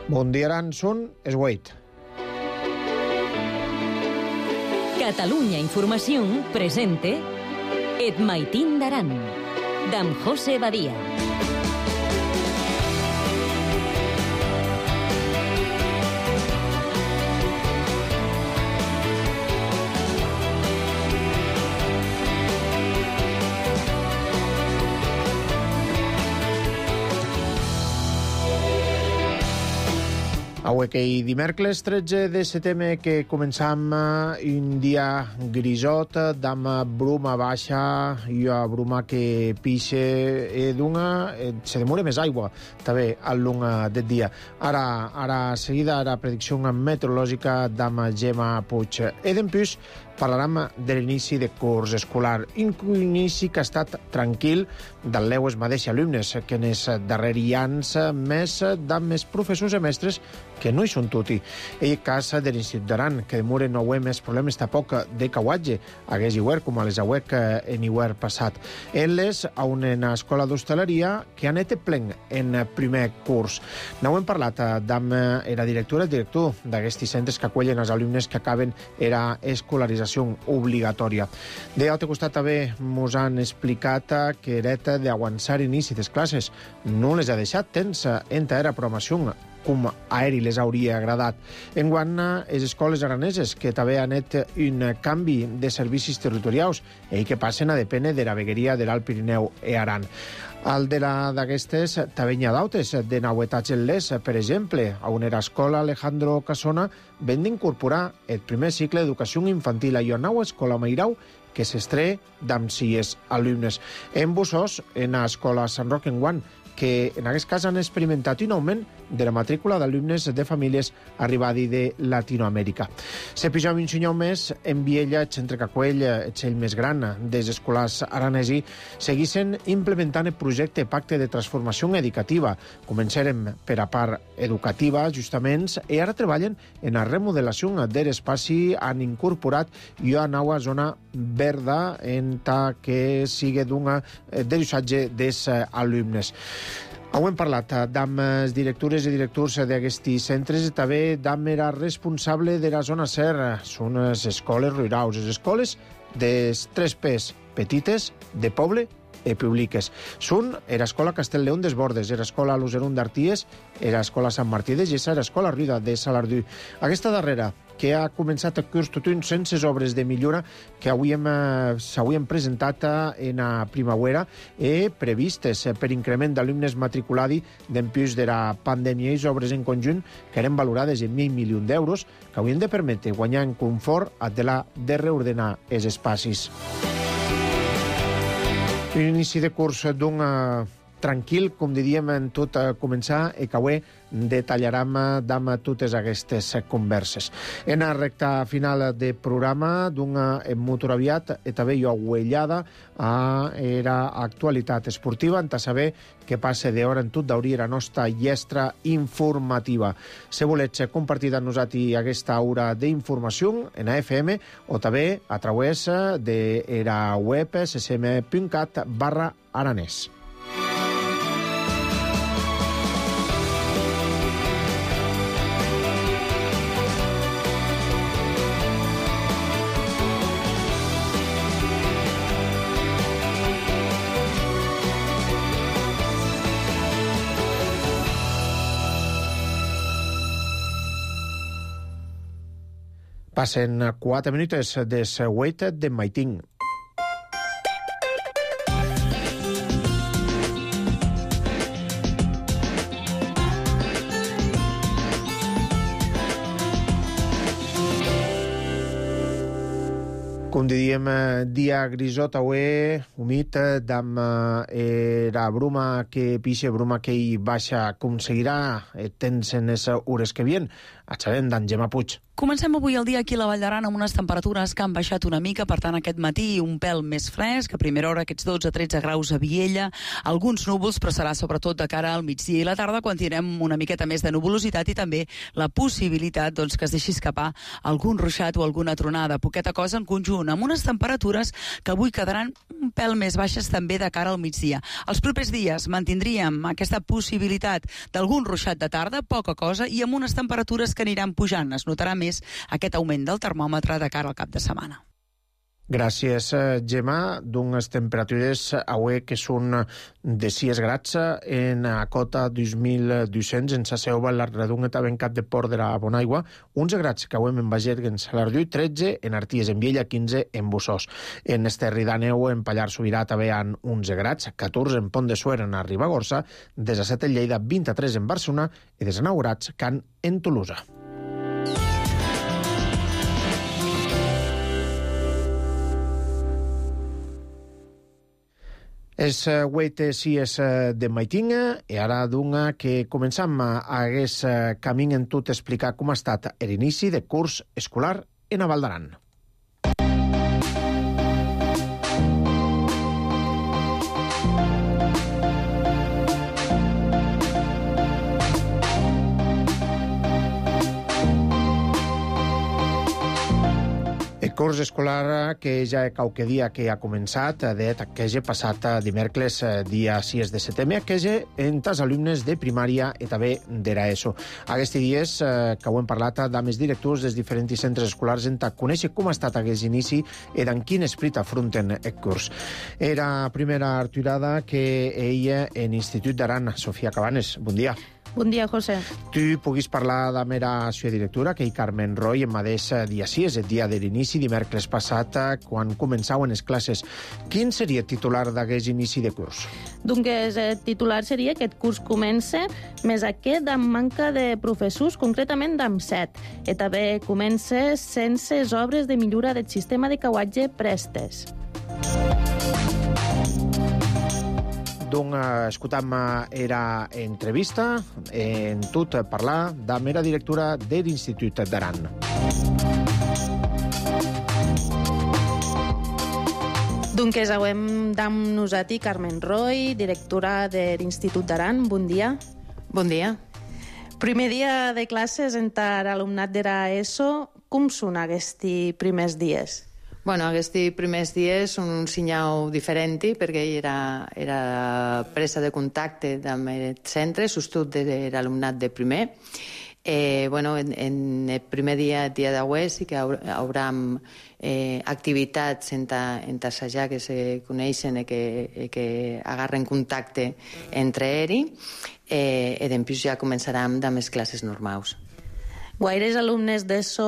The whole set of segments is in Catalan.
Bon dia, Aranson, és Wade. Catalunya Informació presente Et Maitín d'Aran, d'en José Badia. Avui que dimecres 13 de setembre que començam un dia grisot, d'am bruma baixa i bruma que pixe d'una, se demora més aigua també al long del dia. Ara seguida la predicció meteorològica d'am Gemma Puig. I d'empús parlarem de l'inici de curs escolar, un inici que ha estat tranquil del leues mateixos alumnes, que en els darrers anys més professors i mestres que no hi són tutti. Ell casa de l'Institut d'Aran, que demora no hi més problemes tampoc de cauatge, hagués igual com a les auec en igual passat. Elles a una escola d'hostaleria que han été plen en primer curs. No hem parlat amb la directora i director d'aquests centres que acollen els alumnes que acaben era escolarització obligatòria. D'altre costat també ens han explicat que dret d'avançar inici de les classes no les ha deixat temps entre la programació com a ell les hauria agradat. Enguant, les escoles araneses, que també han fet un canvi de servicis territorials i que passen a dependre de la vegueria de l'Alt Pirineu i Aran. Al de d'aquestes també hi ha d'altres de novetats en les, per exemple, a una escola Alejandro Casona ven d'incorporar el primer cicle d'educació infantil a una nova escola Meirau que s'estreia d'amb 6 alumnes. En Bussós, en l'escola Sant Roc enguant, que en aquest cas han experimentat un augment de la matrícula d'alumnes de famílies arribadi de Latinoamèrica. Se pijam un senyor més, en Viella, el centre Cacuell, el més gran dels escolars aranesi, seguissin implementant el projecte Pacte de Transformació Educativa. Començarem per a part educativa, justament, i ara treballen en la remodelació de l'espai, han incorporat una nova zona verda en que sigui de l'usatge dels alumnes. Hem parlat amb les directores i directors d'aquests centres i també amb la responsable de la zona SER. Són les escoles rurals, les escoles dels 3 P's, petites, de poble i públiques. Són l'escola Castellleón des Bordes, l'escola Luzerum d'Arties, l'escola Sant Martí de Gessa i l'escola Ruida de Salardú. Aquesta darrera, que ha començat el curs tot un sense obres de millora que s'havien presentat en la primavera i previstes per increment d'alumnes matriculadi d'empús de la pandèmia i obres en conjunt que eren valorades en 1.000 milions d'euros que haurien de permetre guanyar en confort de reordenar els espais. Un inici de curs tranquil, com diríem en tot començar, i que avui detallarem d'amb totes aquestes converses. En la recta final de programa, molt aviat, i també jo uellada a l'actualitat esportiva, en saber què passa d'hora en tot d'hauria la nostra llestra informativa. Si voleu compartir amb nosaltres aquesta hora d'informació en AFM o també a través de la web ccm.cat/aranès. Passen 4 minuts de Wade de Maitín. Com diríem, dia grisot avui, humit, d'amb la bruma que pixa, bruma que hi baixa, com seguirà temps en les hores que vien. A xerem d'en Gemma Puig. Comencem avui el dia aquí a la Vall d'Aran amb unes temperatures que han baixat una mica, per tant aquest matí un pèl més fresc, a primera hora aquests 12-13 graus a Viella, alguns núvols, però serà sobretot de cara al migdia i la tarda quan tindrem una miqueta més de nuvolositat i també la possibilitat que es deixi escapar algun ruixat o alguna tronada, poqueta cosa en conjunt, amb unes temperatures que avui quedaran un pèl més baixes també de cara al migdia. Els propers dies mantindríem aquesta possibilitat d'algun ruixat de tarda, poca cosa, i amb unes temperatures que aniran pujant. Es notarà més aquest augment del termòmetre de cara al cap de setmana. Gràcies, Gemma. D'unes temperatures avui que són de 6 grads en a cota 2.200 en Saseu, la Redonga, en cap de Port de la Bonaigua, 11 grads que avui en Baget, en Salardiu, 13 en Arties, en Viella, 15 en Bussós. En Esterri d'Àneu, en Pallar Sobirà, també han 11 grads, 14 en Pont de Suert, en Ribagorça, 17 en Lleida, 23 en Barcelona i 19 grads que han en Tolosa. És 8 sies de maitinga i ara d'una que començam a hagués camí en tot explicar com ha estat l'inici de curs escolar en a Val d'Aran. El curs escolar que ja qualque dia que ha començat, que ja passat dimecres, dia 6 de setembre, que ja entre els alumnes de primària i també d'ESO. Aquests dies que ho hem parlat amb els directors dels diferents centres escolars en conèixer com ha estat aquest inici i en quin esperit afronten el curs. Era primera arturada que ella en Institut d'Aran. Sofia Cabanes, bon dia. Bon dia, José. Tu puguis parlar de mera seva directora, que hi Carmen Roy, en mateix dia 6, el dia de l'inici, dimecres passat, quan començaven les classes. Quin seria el titular d'aquest inici de curs? Doncs el titular seria que aquest curs comença més aquest amb manca de professors, concretament amb 7. I també comença sense les obres de millora del sistema de cauatge prestes. Donc, escoltam era entrevista en tot parlar de mera directora de l'Institut d'Aran. Doncs avem amb nosaltres Carmen Roy, directora de l'Institut d'Aran. Bon dia. Bon dia. Primer dia de classes entre l'alumnat d'ESO. Com són aquests primers dies? Bueno, aquests primers dies són un senyal diferent perquè era presa de contacte amb el centre, sobretot de l'alumnat de primer. En el primer dia d'avui sí que haurem activitats entre assajar que se coneixen i que agarren contacte entre ells i després ja començarem amb les classes normals. Guaires alumnes d'ESO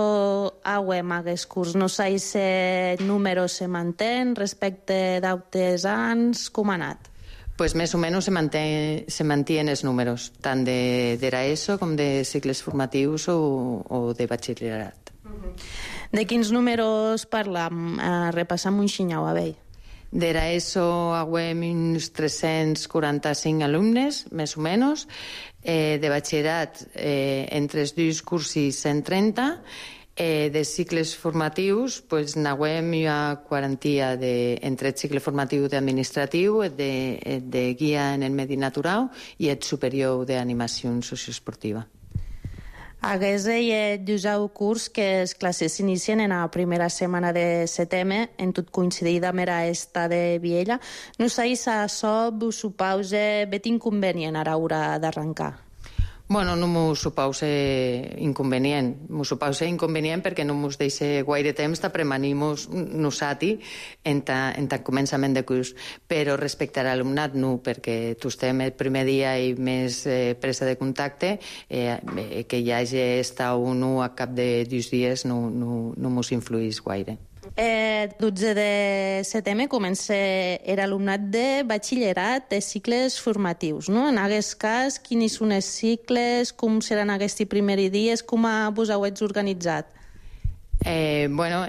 auem aquest curs. No sé si el número se mantén respecte d'altres anys. Com ha anat? Pues més o menys se mantien els números, tant d'ESO com de cicles formatius o de batxillerat. De quins números parlam? Repassam un xinyau a vell. D'ESO auem uns 345 alumnes, més o menys. De batxillerat entre els dos cursos 130, de cicles formatius n'auem una quarantia entre el cicle formatiu d'administratiu, de guia en el medi natural i el superior d'animació socioesportiva. Hagués el curs que les classes s'inicien en la primera setmana de setembre, en tot coincidit amb esta de Viella. No sé si això vos supausa vet inconvenient a l'hora d'arrencar. Bueno, no m'ho supausa inconvenient. M'ho supausa inconvenient perquè no m'ho deixa gaire temps de premanir-nos nosaltres en el començament de curs. Però respecte a l'alumnat, no, perquè tu estem el primer dia i més presa de contacte, que hi hagi estat o no a cap de 2 dies no m'ho influís gaire. El 12 de setembre comença l'alumnat de batxillerat de cicles formatius, no? En aquest cas, quins són els cicles, com seran aquests primers dies, com vos heu organitzat? Bueno,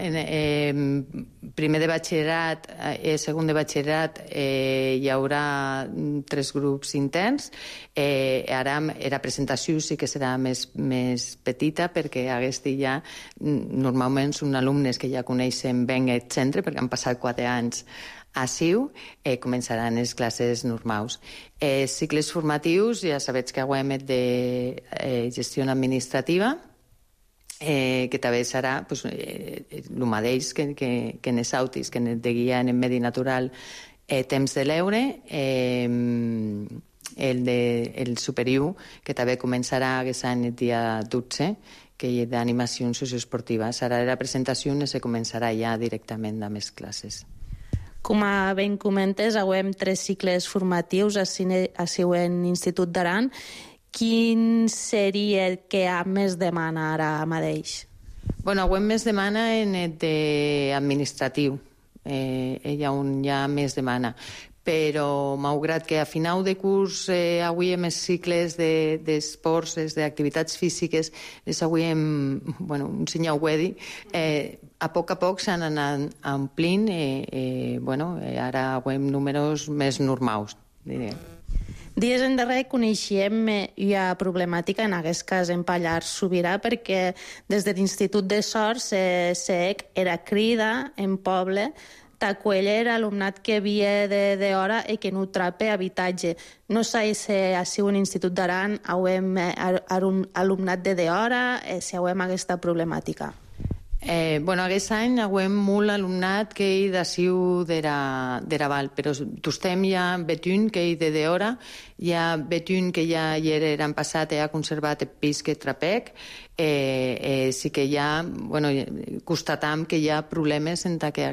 primer de batxillerat i segon de batxillerat hi haurà 3 grups interns. Ara la presentació sí que serà més petita perquè aquesta ja normalment són alumnes que ja coneixen ben el centre perquè han passat 4 anys a CIU, començaran les classes normals. Cicles formatius, ja sabeu que hem de gestió administrativa, que també serà el mateix que en els autis, que en el de guia en el medi natural temps de l'eure, el superior, que també començarà aquest any el dia 12, que és d'animació socioesportiva. Serà la presentació on se començarà ja directament amb les classes. Com ben comentes, hem 3 cicles formatius a en l'Institut d'Aran. Quin seria el que més demana ara mateix? Bueno, hem més demana en el administratiu. Hi ha més demana. Però, malgrat que a final de curs avui hem els cicles d'esports, d'activitats físiques, avui hem, un senyor ho he dit, a poc s'han anat omplint, ara hem números més normals, diré. Dies endarrere coneixíem una problemàtica, en aquest cas en Pallars Sobirà, perquè des de l'Institut de Sort era crida en poble t'acollir alumnat que havia d'hora i que no trape habitatge. No sé si a un Institut d'Aran hem alumnat d'hora, si hem aquesta problemàtica. Aquest any hem molt alumnat que hi d'aciu d'Eraval, però tostem ja betun que hi d'hora, hi ha betun que ja hi eren passat i ha conservat el pis que trapec, sí que ja constatam que hi ha problemes en que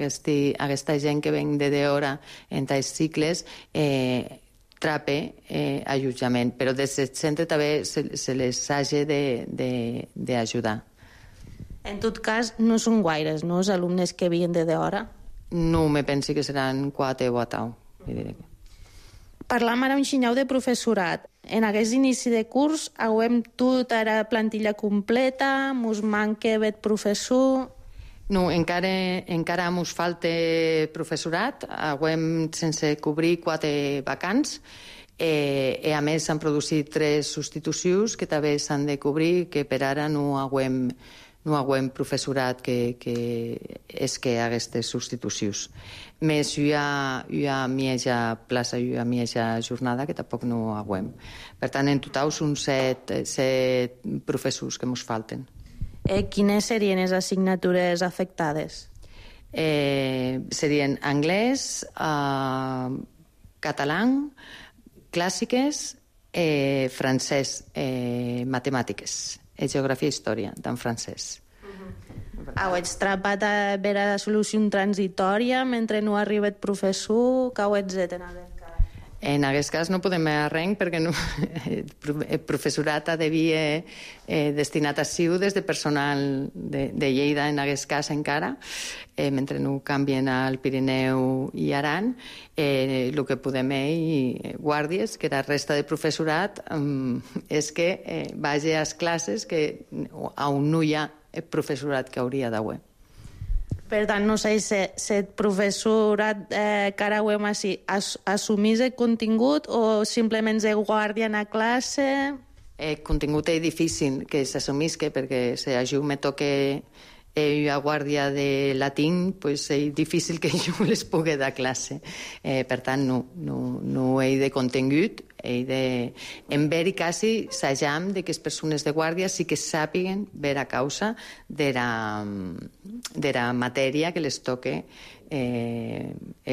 aquesta gent que ven d'hora en els cicles trape allotjament, però des del centre també se les hagi d'ajudar. En tot cas, no són guaires, no, els alumnes que havien d'hora? No, me penso que seran 4 o 8. Parlam ara un xinyau de professorat. En aquest inici de curs hem tota la plantilla completa, mos manca el professor... No, encara mos falta professorat. Hem sense cobrir 4 vacants. I a més s'han produït 3 substitucions que també s'han de cobrir, que per ara no hem professorat que és que aquestes substitucions. Més hi ha mitja plaça, hi ha mitja jornada, que tampoc no hem. Per tant, en total són 7 professors que ens falten. Quines serien les assignatures afectades? Serien anglès, català, clàssiques, francès, matemàtiques, geografia i història, en francès. Heu trapat a veure la solució transitòria mentre no arriba el professor? Què heu fet en aquest cas? En aquest cas no podem arrenc perquè el professorat havia destinat a CIU des de personal de Lleida, en aquest cas encara, mentre no canvien al Pirineu i Aran. El que podem i guàrdies, que la resta de professorat, és que vagi a les classes on no hi ha el professorat que hauria d'haver. Per tant, no sé si el professorat que ara ho hem així assumís el contingut o simplement és guàrdia a classe? El contingut és difícil que s'assumís, perquè si a jo me toca a guàrdia de latín, és difícil que jo les pugui dar classe. Per tant, no he de contingut, en ver i quasi s'ajam que les persones de guàrdia sí que sàpiguen ver a causa de la matèria que les toque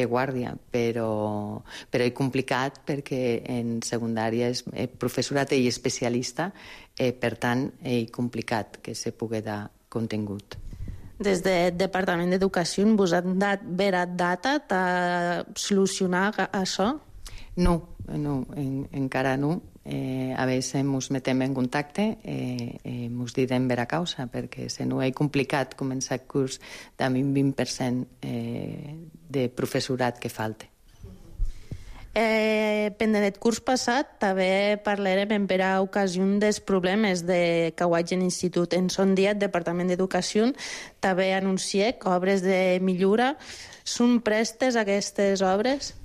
guàrdia, però és complicat perquè en secundària el professorat és especialista, per tant és complicat que se pugui dar contingut. Des del Departament d'Educació vos han dat vera data de solucionar això? No, encara no. A vegades ens metem en contacte i ens direm vera causa, perquè si no és complicat començar el curs amb un 20% de professorat que falta. Pendent del curs passat, també parlarem per a ocasió dels problemes que ho hagi en l'institut. En son dia, el Departament d'Educació també anuncia que obres de millora són prestes aquestes obres?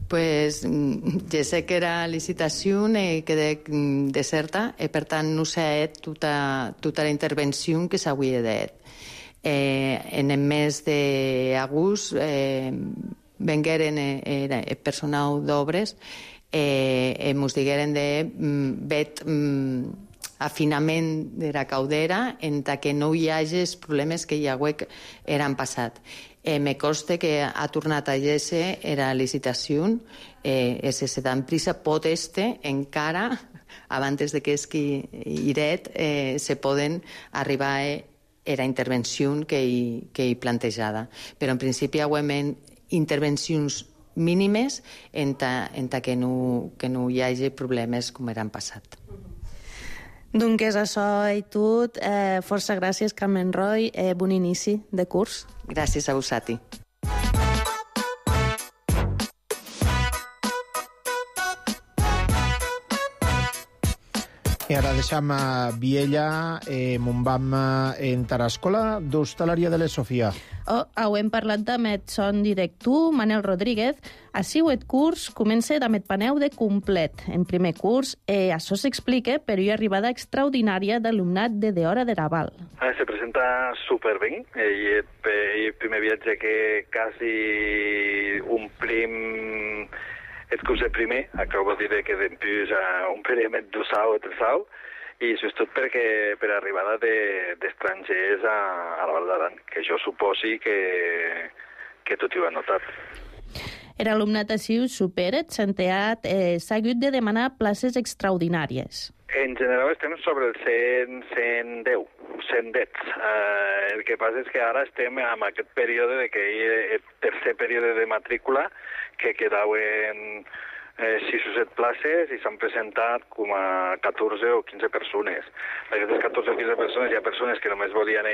Pues ja sé que era licitació i quedé deserta i per tant no s'ha fet tota la intervenció que s'hauria fet. En el mes d'agost vengueren el personal d'obres i ens digueren de vet afinament de la caldera en que no hi hagi els problemes que hi eren passat. Me consta que ha tornat a llegir la licitació se dan prisa pot encara abans de que es que iret se poden arribar a la intervenció que hi plantejada. Però en principi hi ha intervencions mínimes en que no hi hagi problemes com eren passat. Doncs és això i tot. Força gràcies, Carmen Roy. Bon inici de curs. Gràcies a vosaltres. I ara deixam a Viella, on vam entrar a escola d'hostaleria de la Sofia. Hem parlat amb el son director, Manel Rodríguez. Així el curs comença amb el paneu de complet. En primer curs, això s'explica per una arribada extraordinària d'alumnat de hora de Raval. Se presenta superben. El primer viatge que quasi omplim el curs de primer, acabo de dir que després omplirem el dosau o tresau, i això és tot perquè per arribada d'estrangers a la Val d'Aran, que jo suposi que tot ho ha notat. L'alumnat així ho supera, s'ha hagut de demanar places extraordinàries. En general estem sobre el 110. El que passa és que ara estem en aquest període el tercer període de matrícula, que quedaven 6 o 7 places i s'han presentat com a 14 o 15 persones. D'aquestes 14 o 15 persones hi ha persones que només volien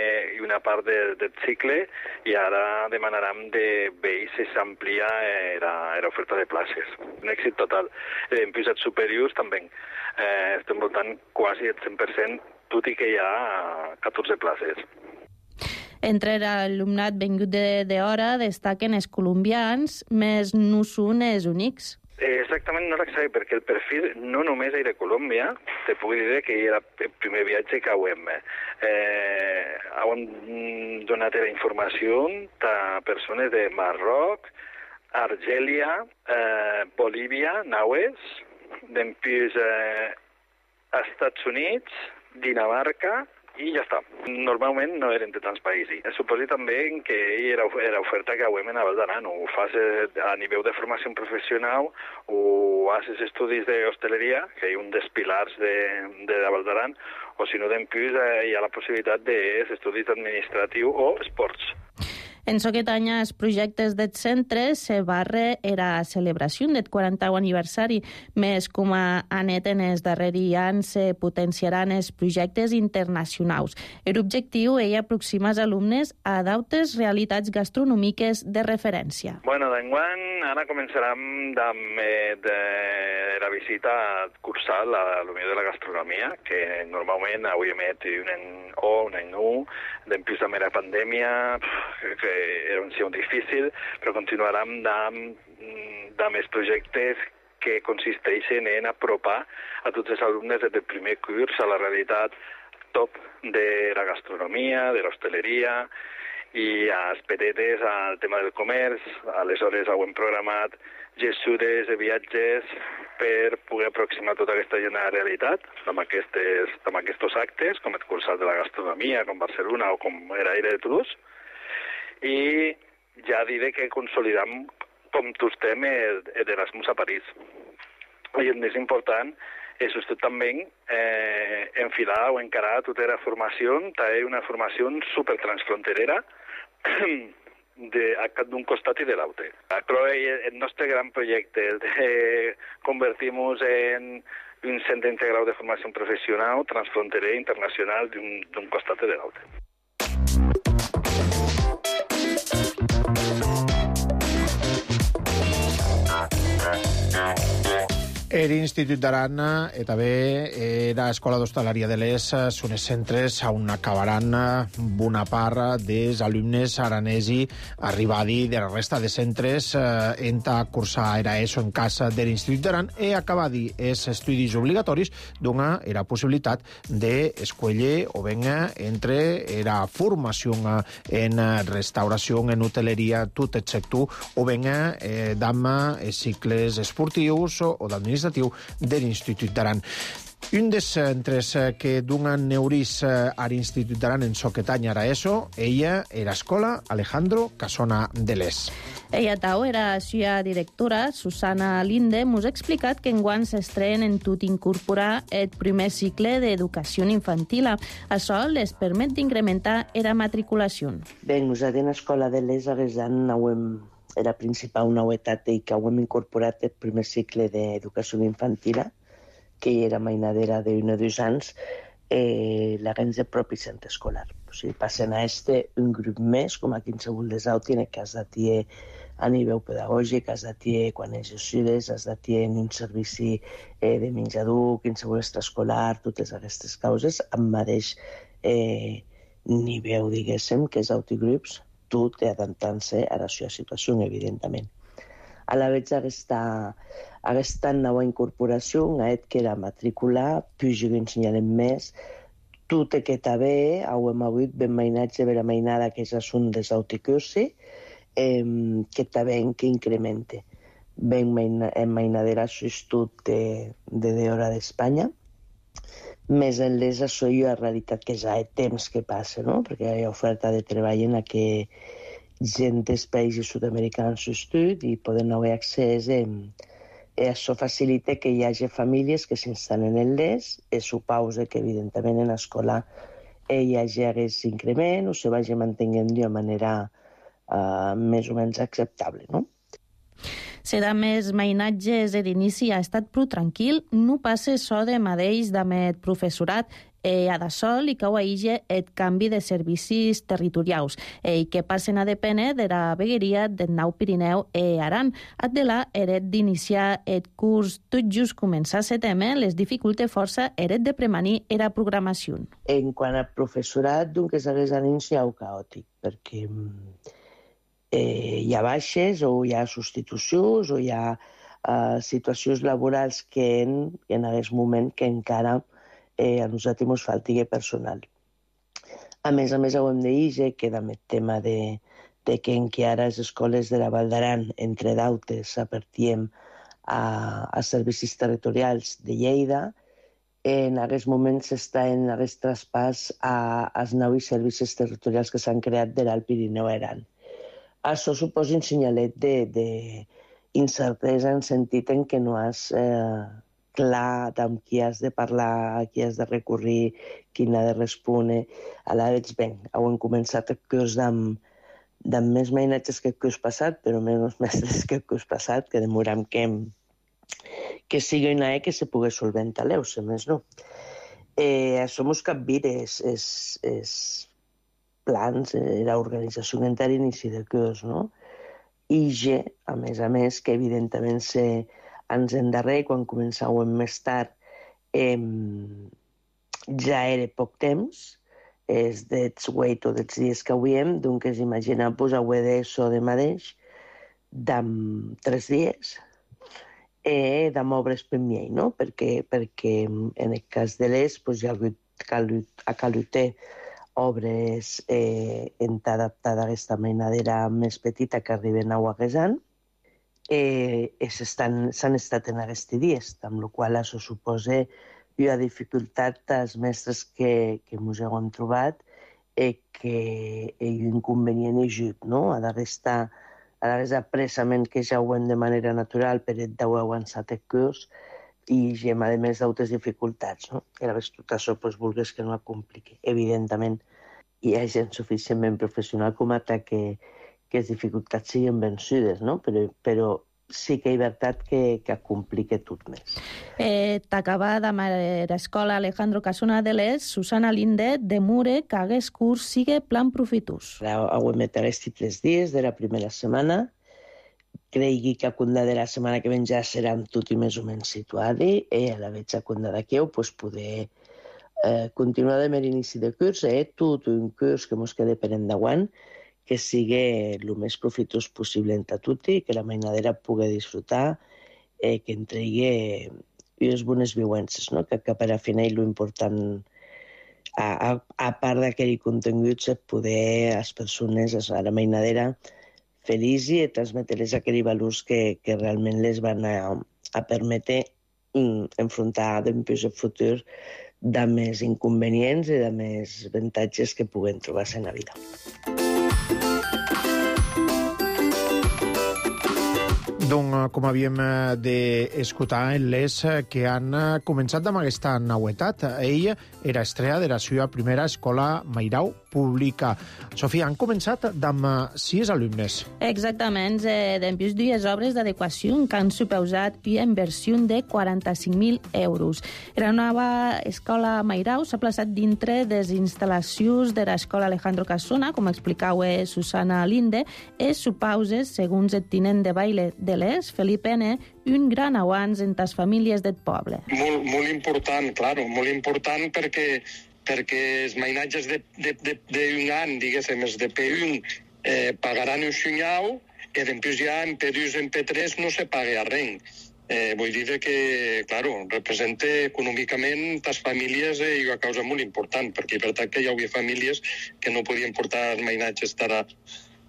una part del cicle i ara demanaran de veïns si s'amplia l'oferta de places. Un èxit total. En pisos superiors també. Estem voltant quasi el 100%, tot i que hi ha 14 places. Entre l'alumnat vingut d'hora destaquen els colombians, més no són els únics. Exactament, no l'exacte, perquè el perfil no només era Colòmbia, te puc dir que era el primer viatge que hem donat la informació a persones de Marroc, Argèlia, Bolívia, Naues, després Estats Units, Dinamarca, i ja està. Normalment no eren de tants països. Suposo també que era oferta que hem a Val d'Aran. Ho fas a nivell de formació professional o haces estudis d'hostaleria, que és un dels pilars de la Val d'Aran, o si no, després hi ha la possibilitat d'estudis administratius o esports. En aquest any, els projectes del centre se barra la celebració del 40è aniversari, més com a anet en els darrers anys se potenciaran els projectes internacionals. L'objectiu és aproximar els alumnes a d'altres realitats gastronòmiques de referència. D'enguany ara començarem amb la visita cursal a l'Unió de la Gastronomia, que normalment avui emet un any nou, després també la pandèmia, que era un signe difícil, però continuarem amb els projectes que consisteixen en apropar a tots els alumnes des del primer curs a la realitat top de la gastronomia, de l'hostaleria, i als petetes al tema del comerç. Aleshores hem programat gestures de viatges per poder aproximar tota aquesta gent a la realitat amb aquests actes, com el cursal de la gastronomia, com Barcelona o com era Aire de Toulouse. I ja diré que consolidam com tu estem d'Erasmus a París. I el més important és també enfilar o encarar tota la formació, també una formació supertransfronterera d'un costat i de l'altre. Però el nostre gran projecte és de convertir-nos en un centre integral de formació professional, transfronterer, internacional, d'un costat i de l'altre. L'Institut d'Aran e també era Escola d'Hostaleria de l'ES són els centres on acabaran bona part dels alumnes aranesi arribadi de la resta de centres en a cursar era ESO en casa de l'Institut d'Aran e acabadi els estudis obligatoris dona la possibilitat d'escollir o ben entre la formació en restauració, en hoteleria, tot el sector, o ben d'amma cicles esportius o d'administració de l'Institut d'Aran. Un dels centres que donen neuris a l'Institut d'Aran en soquet any ara ESO, ella era l'escola Alejandro Casona de l'ES. Ella tau era la seva directora, Susana Linde, mos ha explicat que enguany s'estrenen en tot incorporar el primer cicle d'educació infantil. Això les permet d'incrementar la matriculació. Bé, nosaltres en l'escola de l'ES aguesant era principal novetat i que hem incorporat el primer cicle d'educació infantil, que era mainadera d'1 o 2 anys, l'agència del propi centre escolar. O sigui, passen a un grup més, com a qualsevol dels altres, en el cas de tier a nivell pedagògic, has de tier quan és estudes, has de tier en un servici de menjador, qualsevol extraescolar, totes aquestes causes, amb mateix nivell, diguéssim, que és autogrups, tot adaptant-se a la seva situació, evidentment. A la vegada, aquesta nova incorporació ha que la matrícula pugui ensenyar més tot el que també hem hagut ben mainatge per a mainada, que ja són des d'autocursi, que també que incremente. Ben mainadera substitut de hora d'Espanya, més enllà això hi ha realitat que ja hi ha temps que passa, no? Perquè hi ha oferta de treball en què gent dels països sud-americans s'estudi i poden haver accés això facilita que hi hagi famílies que s'instal·len en l'ES i suposa que evidentment en l'escola hi hagi aquest increment o se vagi mantenint d'una manera més o menys acceptable, no? Serà més mainatges de l'inici ha estat prou tranquil, no passa això de mateix d'amèt professorat, a d'això li cau a ella el canvi de servicis territorials i que passen a dependre de la vegueria del Nou Pirineu i Aran. Adela eret d'iniciar el curs tot just començar a setembre, les dificultes força eret de premanir la programació. En quant al professorat, doncs s'hagués iniciat caòtic, perquè hi ha baixes o hi ha substitucions o hi ha situacions laborals que en aquest moment que encara a nosaltres ens falti personal. A més, ho hem de dir que amb el tema de que encara les escoles de la Val d'Aran, entre d'altres, s'apartiem a servicis territorials de Lleida, en aquest moment s'està en aquest traspàs als nous servicis territorials que s'han creat de l'Alt Pirineu i Aran. Això suposa un senyalet d'incertesa en sentit en què no has clar amb qui has de parlar, a qui has de recurrir, qui n'ha de respondre. A la vegada, bé, hem començat el curs amb més mainatges que el curs passat, però menys mestres que el curs passat, que demorem que sigui una que se pugui solventar l'eus, més no. Això mos capvira els plans, l'organització entera inici de curs, no? I a més, que evidentment anys endarrer, quan començàvem més tard, ja era poc temps, és dels 8 o dels dies que avui doncs imagineu-vos avui d'això de mateix, d'en 3 dies, d'en obres per mi, no? Perquè en el cas de l'ES hi ha calut obres adaptades a aquesta mainadera més petita que arriben a Guaguesant, s'han estat en aquests dies, amb la qual cosa això suposa una dificultat als mestres que ens hem trobat que hi ha un inconvenient ajut, no? Ha d'estar apressament que ja ho hem de manera natural per d'haver avançat el curs i a més d'altres dificultats, no? I llavors tot això vulguis que no ho compliqui. Evidentment, hi ha gent suficientment professional com a que les dificultats siguin vençudes, no? Però sí que hi ha veritat que complica tot més. T'acaba amb l'escola Alejandro Casona de l'ES, Susana Linde, de Mure, que aquest curs sigui plan profitós. Ho hem aquests 3 dies de la primera setmana, cregui que a cunda de la setmana que ven ja seran tot i més o menys situadi, a la veig a cunda d'aquí, pues poder continuar de mer inici de curs, tot un curs que mos quede per endavant, que sigui el més profitós possible entre tutti, que la mainadera pugui disfrutar, que entregui unes bones viuences, no? Que per a final l'important, a part d'aquell contingut, és poder les persones, a la mainadera, felici i transmetre-les aquells valors que realment les van a permetre enfrontar després el futur de més inconvenients i de més avantatges que puguen trobar-se en la vida. Donc, com havíem d'escoltar, les que han començat amb aquesta nauetat. Ell era estrella de la seva primera escola Mairau pública. Sofia, han començat amb 6 alumnes. Exactament, dempués dues obres d'adequació que han suposat una inversió de 45.000 euros. La nova escola Mairau s'ha plaçat dintre de les instal·lacions de l'escola Alejandro Casona, com explicava Susana Linde, i supausa, segons el tinent de baile de l'ES, Felipe N., un gran avanç en les famílies del poble. Molt important, claro, molt important perquè els mainatges d'un any, diguéssim, els de P1, pagaran un xunyau i després ja en P2 i en P3 no se paga res. Vull dir que, claro, representa econòmicament les famílies una causa molt important, perquè és veritat que hi havia famílies que no podien portar els mainatges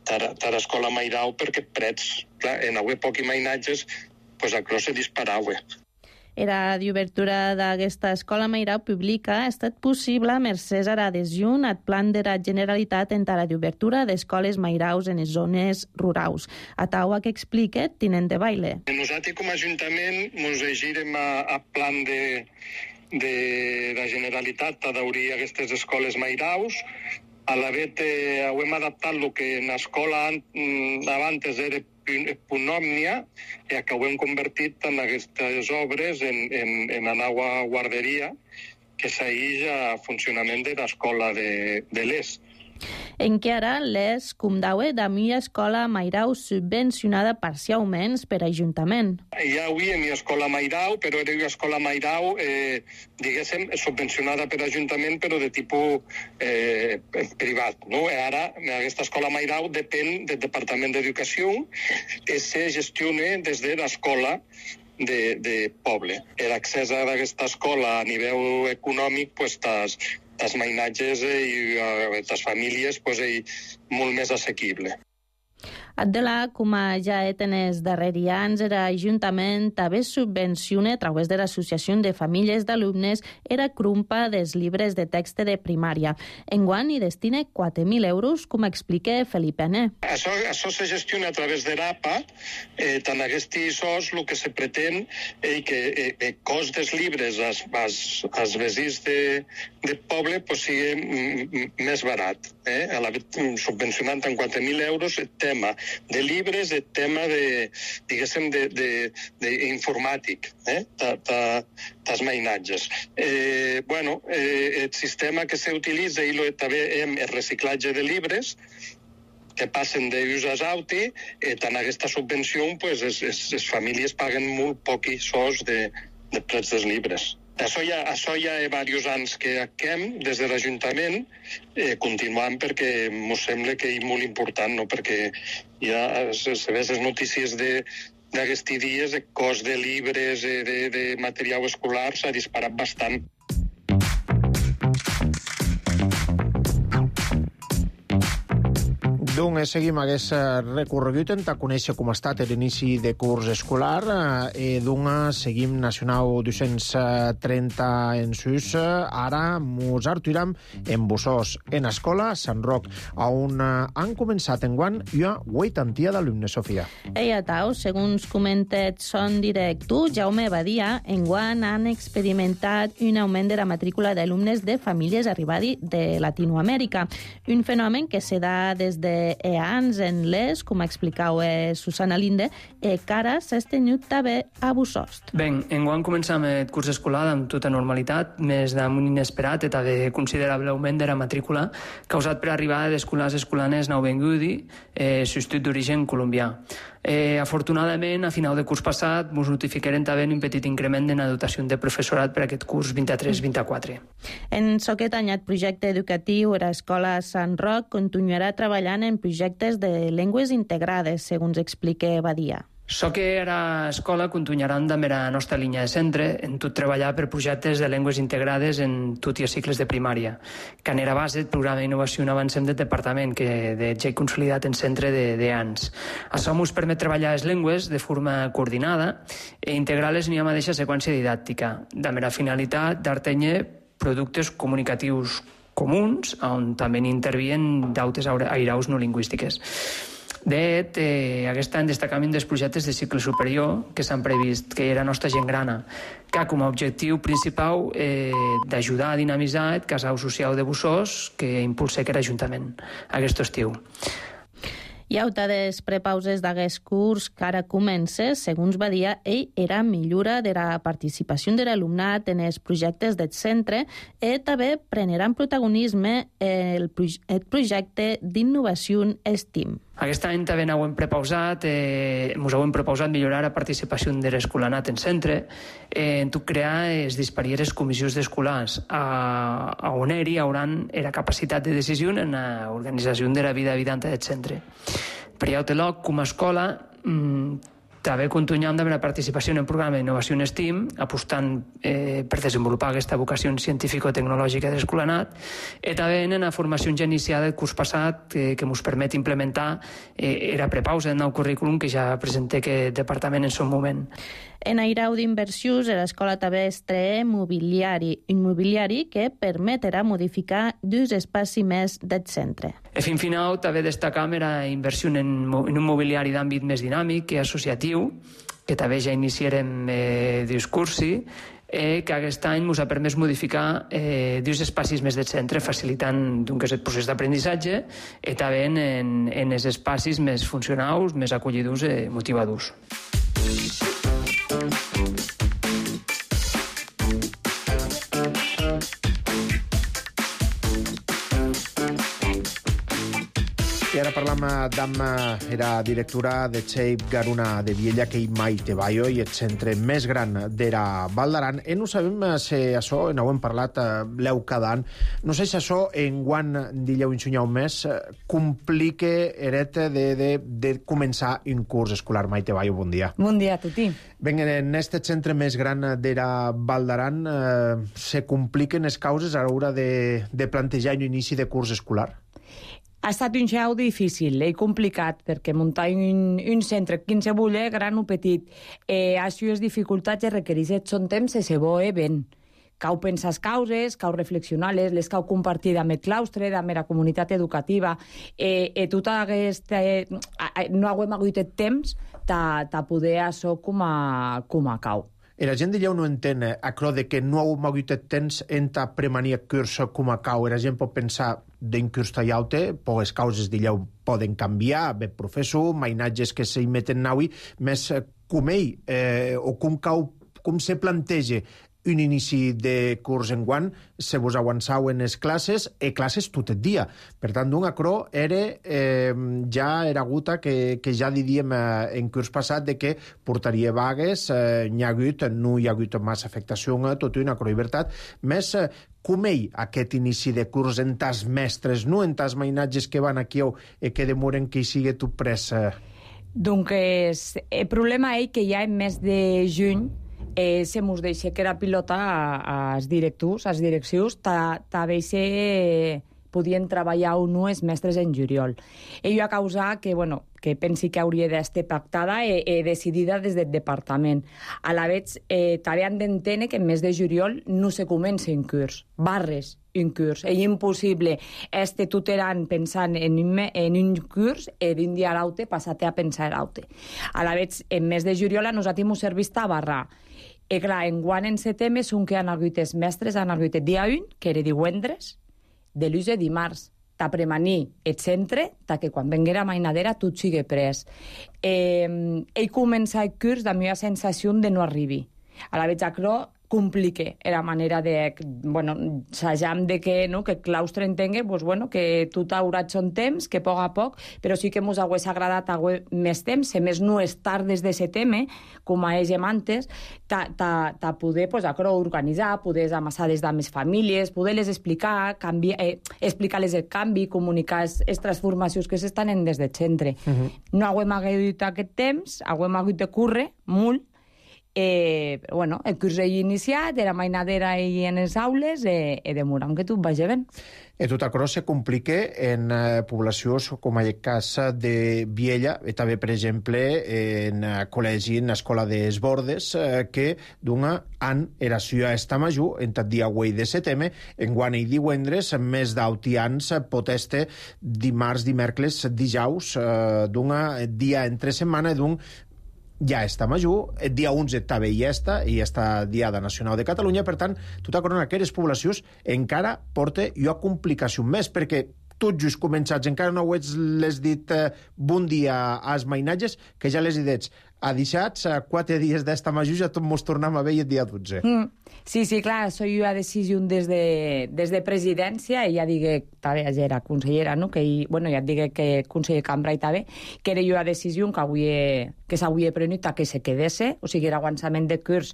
a l'escola Mairau perquè prets, clar, en havia pocs mainatges, doncs això se disparava. La d'obertura d'aquesta escola Mairau pública ha estat possible mercès a l'adhesió al plan de la Generalitat en la d'obertura d'escoles Mairaus en les zones rurals. A taua que explica tinent de baile. Nosaltres com a Ajuntament ens llegirem al plan de la Generalitat a d'obrir aquestes escoles Mairaus. A la vez hem adaptat el que en l'escola abans era Punt Òmnia i que ho hem convertit en aquestes obres en la nova guarderia que segueix a funcionament de l'escola de l'ES. En què ara l'ES comptava amb una escola Mairau subvencionada parcialment per Ajuntament. Ja havia una escola Mairau, però era una escola Mairau, diguéssim, subvencionada per Ajuntament, però de tipus privat. No? Ara, aquesta escola Mairau depèn del Departament d'Educació i se gestiona des de l'escola de poble. L'accés a aquesta escola a nivell econòmic, els mainatges i les famílies molt més assequible. Adela, com ja en els darrers anys, l'Ajuntament també subvenciona a través de l'Associació de Famílies d'Alumnes la crumpa dels llibres de text de primària. Enguany hi destina 4.000 euros, com explica Felipe N. Això se gestiona a través de l'APA. Tant aquests SOS el que se pretén és que el cost dels llibres als veïns del poble sigui més barat. Subvencionant amb 4.000 euros el tema de llibres, el tema d'informàtic, dels mainatges. El sistema que s'utilitza i també el reciclatge de llibres que passen d'ús a auti, tant aquesta subvenció, les famílies paguen molt pocs sous de prets dels llibres. Això ja hi ha diversos anys que hem des de l'Ajuntament, continuant perquè ens sembla que és molt important, no? Perquè ja se veuen les notícies d'aquests dies, el cost de llibres, de material escolar s'ha disparat bastant. Doncs seguim aquest recorregut en conèixer com ha estat l'inici de curs escolar. Doncs seguim Nacional 230 en sus. Ara mos artuiram en Bussós, en escola Sant Roc, on han començat enguany una 80 d'alumnes, Sofia. A tau, segons comentat son director Jaume Badia, enguany han experimentat un augment de la matrícula d'alumnes de famílies arribades de Latinoamèrica, un fenomen que se da des de ans en les, com explicau Susana Linde, cara s'ha tenyut també a Bussost. Ben, enguany començam el curs escolar amb tota normalitat, més d'un inesperat i també considerable augment de la matrícula causat per arribada d'escolars escolanes nouvinguts, substitut d'origen colombià. Afortunadament, a final de curs passat, ens notificarem també un petit increment de la dotació de professorat per aquest curs 23-24. En aquest anyat projecte educatiu, l'Escola Sant Roc continuarà treballant en projectes de llengües integrades, segons explica Badia. So que a l'escola continuaran amb la nostra línia de centre en tot treballar per projectes de llengües integrades en tots els cicles de primària, que era base del programa d'innovació en avancem del departament, que ja he consolidat en centre d'ans. Això ens permet treballar les llengües de forma coordinada i integrar-les en la mateixa seqüència didàctica, amb la finalitat d'artenyer productes comunicatius comuns, on també intervien d'altres airaus no lingüístiques. De fet, aquest any destacam dels projectes de cicle superior que s'han previst, que era nostra gent grana, que ha com a objectiu principal d'ajudar a dinamitzar el casal social de Bussost que impulsa aquest Ajuntament aquest estiu. I auta des prepauses d'aquest curs que ara comença, segons Badia, era millora de la participació de l'alumnat en els projectes del centre i també prengueren protagonisme el projecte d'innovació STEAM. Aquest any també ens hem proposat millorar la participació de l'escolanat en centre, en tot crear les disparieres comissions d'escolars, on hi hauran la capacitat de decisió en l'organització de la vida habitante del centre. Per altre lloc, com a escola, també continuem amb la participació en el programa d'innovació en STEAM, apostant per desenvolupar aquesta vocació científico-tecnològica de l'escolanat, i també en la formació ja iniciada el curs passat, que ens permet implementar la prepausa del nou currículum que ja presenta aquest departament en son moment. En airau d'inversions, l'escola també estrena immobiliari que permetrà modificar dos espais més del centre. A fin final, també destacam la inversió en un mobiliari d'àmbit més dinàmic i associatiu, que també ja iniciarem discursi, que aquest any ens ha permès modificar dos espais més del centre, facilitant el procés d'aprenentatge i també en els espais més funcionals, més acollidors i motivadors. I ara parlam amb la directora de Xeip Garuna de Viella, que mai te vaio, i el centre més gran de la Val d'Aran. I no sabem si això, no ho hem parlat l'eu cada any, no sé si això en guant d'illeu insunyau més complica eret de començar un curs escolar. Mai te vaio, bon dia. Bon dia a tutti. Ben, en este centre més gran de la Val d'Aran se compliquen les causes a l'hora de plantejar un inici de curs escolar? Ha estat un xau difícil i complicat, perquè muntar un centre, quin se volia, gran o petit, això és dificultats i requereix son temps i se voe ben. Cau pensar les causes, cau reflexionar-les, les cau compartir amb el claustre, amb la comunitat educativa, i tot aquest... No haguem hagut temps de poder això com a cau. I la gent d'illeu no entén això de que no heu hagut temps entre premanir el curs com a cau. La gent pot pensar d'un curs tallaute, les causes d'illeu poden canviar, bé professor, mainatges que s'hi meten naui, més com ell, o com se planteja un inici de curs enguant, se vos avançau en les classes, i classes tot el dia. Per tant, d'un acrò ja era guta que ja diríem en curs passat de que portaria vagues, no hi ha hagut massa afectació, tot una acrò llibertat, més com ell aquest inici de curs en tas mestres, no en tas mainatges que van aquí i que demoren que hi sigui tot pres. Doncs el problema és que ja en mes de juny se mos deixa que era pilota als directius, als directius, també podien treballar o no els mestres en juliol. I a causa que pensi que hauria d'estar pactada i decidida des del departament. A la vegada, també han d'entendre que en mes de juliol no se comença un curs, barres un curs. És impossible estar tutelant pensant en un curs i d'un dia a l'altre passar a pensar a l'altre. A la vegada, en mes de juliol a nosaltres ens serveix a barrar. I clar, enguant en setembre són que han hagut els mestres, han hagut el dia 1, que era divendres, de l'ús de dimarts. ta premanir et centre, ta que quan venguera mainadera tot sigui pres. Ell comença el curs amb una sensació de no arribi. A la veig acro complique era manera de, bueno, s'ajam de que, no, que claustre entengue, pues, bueno, que tot haurà son temps, que poc a poc, però sí que mos hagués agradat més temps, a més no estar des de setembre, com a ells antes, ta poder, pues, organitzar, poder amassar des de més famílies, poder-les explicar, explicar-les el canvi, comunicar les transformacions que s'estan en des del centre. No haguem hagut aquest temps, haguem hagut de córrer molt. Bueno, el curs he iniciat, era mainadera i en les aules, demoram que tot vagi ben. Tot això se complica en poblacions com el cas de Viella, i també, per exemple, en col·legi, en l'escola des Bordes, que d'un any era ciutat esta major, en el dia 8 de setembre, en guany i divendres, més d'autians poteste dimarts, dimecres, dijous, d'un dia entre setmana, d'un ja està major, el dia 11 també ja està Diada Nacional de Catalunya, per tant, tota corona aquelles poblacions encara porta una complicació més, perquè tots just començats, encara no les dit bon dia als mainatges, que ja les he dit, a deixats, a 4 dies d'esta major, ja tot mos tornem a veure el dia 12. Sí, clar, això jo ha decisió des de presidència, i ja digué, també era consellera, no? Bueno, ja et digué que conseller Cambra i també, que era jo a decisió que s'havia prenut que se quedesse, o sigui, el avançament de curs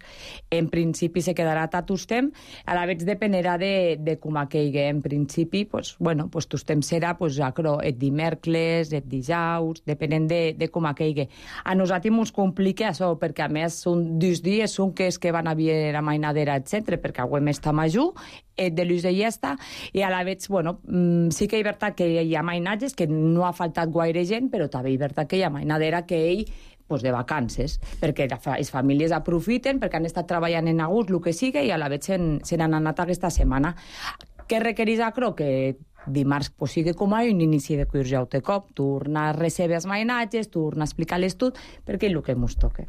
en principi se quedarà tot el temps, a la vegada dependerà de com aquell. En principi, pues, bueno, pues tot el temps serà el dimecres, el dijous, depenent de com aquell. A nosaltres ens complica això, perquè a més són 2 dies, són que van a haver la mainadera al centre, perquè avui està major, de l'ús de llesta, i a la vegada, bueno, sí que és veritat que hi ha mainatges, que no ha faltat gaire gent, però també és veritat que hi ha mainadera que ell de vacances, perquè les famílies aprofiten, perquè han estat treballant en agost, el que sigui, i a la vegada se n'han anat aquesta setmana. Què requereix això? Que dimarts sigui com a un inici de curs ja de cop, tornar a rebre els mainatges, tornar a explicar-les tot, perquè és el que ens toca.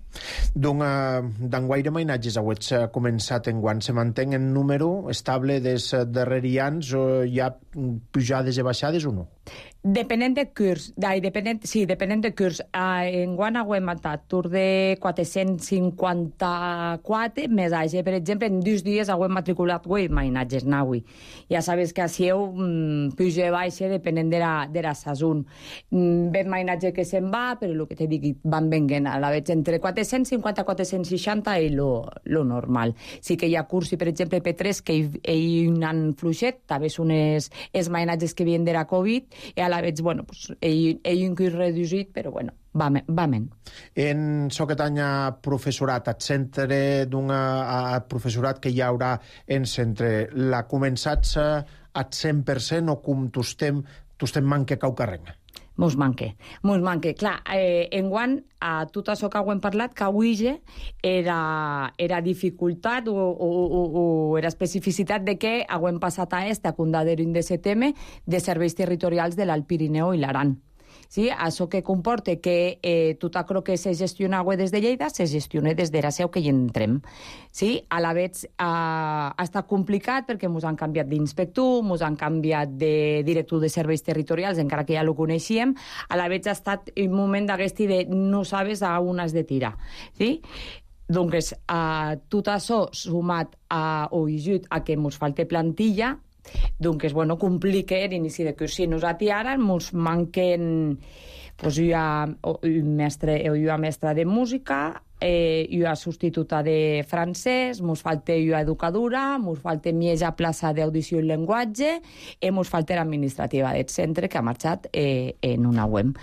D'enguaire mainatges heu començat enguany, se manté en número estable des darrers anys, o hi ha pujades i baixades o no? Depenent de curs, depenent de curs. Enguany hem matat tur de 454, més així, per exemple, en 2 dies hem matriculat 8 mainatges naui. Ja sabes que així puja i baixa depenent de la sazón. Ben mainatge que se'n va, però el que t'he dit, van venint a la vegada entre 450 i 460 és lo normal. Sí que hi ha cursi, per exemple, P3, que hi han fluixet, també són els mainatges que havien de la Covid, i a la vegada, bueno, pues, ell un curs reduït, però bueno, va men. En aquest any professorat, el centre d'un professorat que hi haurà en centre, l'ha començat al 100% o com tostem manca cau carrega? Mos manque. Clar, enguany, a tot això que hem parlat, que avui era dificultat o era especificitat de que hem passat a condadero de setembre de serveis territorials de l'Alt Pirineu i l'Aran. Sí? Això que comporta que tot això que se gestiona des de Lleida se gestiona des de la seu que hi entrem. Sí? A la vegada ha estat complicat perquè ens han canviat d'inspector, ens han canviat de director de serveis territorials, encara que ja ho coneixíem. A la vegada ha estat un moment d'aquest de no sabes a on has de tirar. Sí? Doncs tot això sumat o ajut a que ens falta plantilla, doncs, bueno, complica l'inici de curs. Si nosaltres ara ens manquen una mestra de música, una substituta de francès, ens falta una educadora, ens falta mitja plaça d'audició i llenguatge, i ens falta l'administrativa del centre, que ha marxat en una web.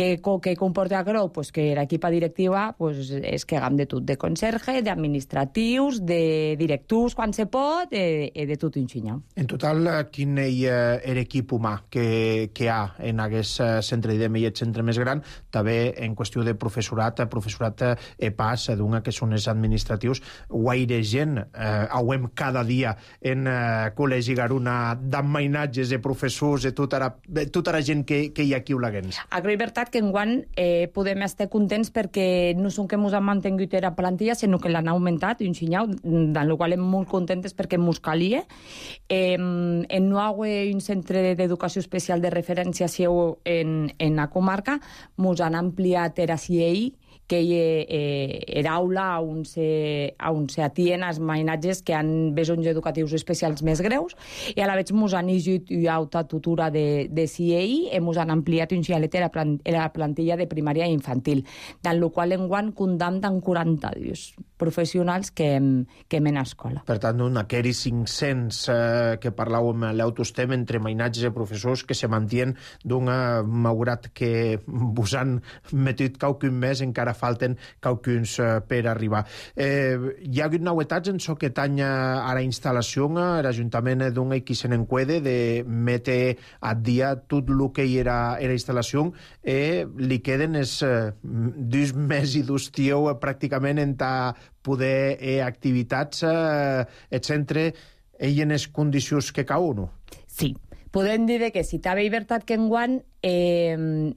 Què comporta això? Pues que l'equipa directiva és que hagam de tot, de conserge, d'administratius, de directors, quan se pot, de tot un xinyau. En total, quin és l'equip humà que hi ha en aquest centre d'IDEM i el centre més gran, també en qüestió de professorat pas, que són els administratius, guaire gent, hauem cada dia en Col·legi Garuna d'emmainatges, de professors, de tota la gent que hi ha aquí a Olaguens. És veritat veritat que enguany podem estar contents perquè no són que ens han mantingut la plantilla, sinó que l'han augmentat un xinyau, del qual hem molt contentes perquè ens calia. En no haver un centre d'educació especial de referència seu en la comarca, ens han ampliat la CIEI, que era aula on se atien els mainatges que han besons educatius especials més greus, i a la vegada ens han llegit una alta tutora de CIEI i ens han ampliat un xialet la plantilla de primària i infantil, del qual enguany condamnen 42 professionals que hem en escola. Per tant, aquells 500 que parlàvem l'autostem entre mainatges i professors que se mantien malgrat que vos han metut qualcun més, encara falten qualcuns per arribar. Hi ha hagut novetats en això que tanya a la instal·lació. L'Ajuntament qui se n'encuede de metre a dia tot el que era la instal·lació. Li queden els 2 mesos i 2 dies pràcticament en poder activitats el centre en les condicions que cau, no? Sí. Podem dir que si t'ha veritat que enguany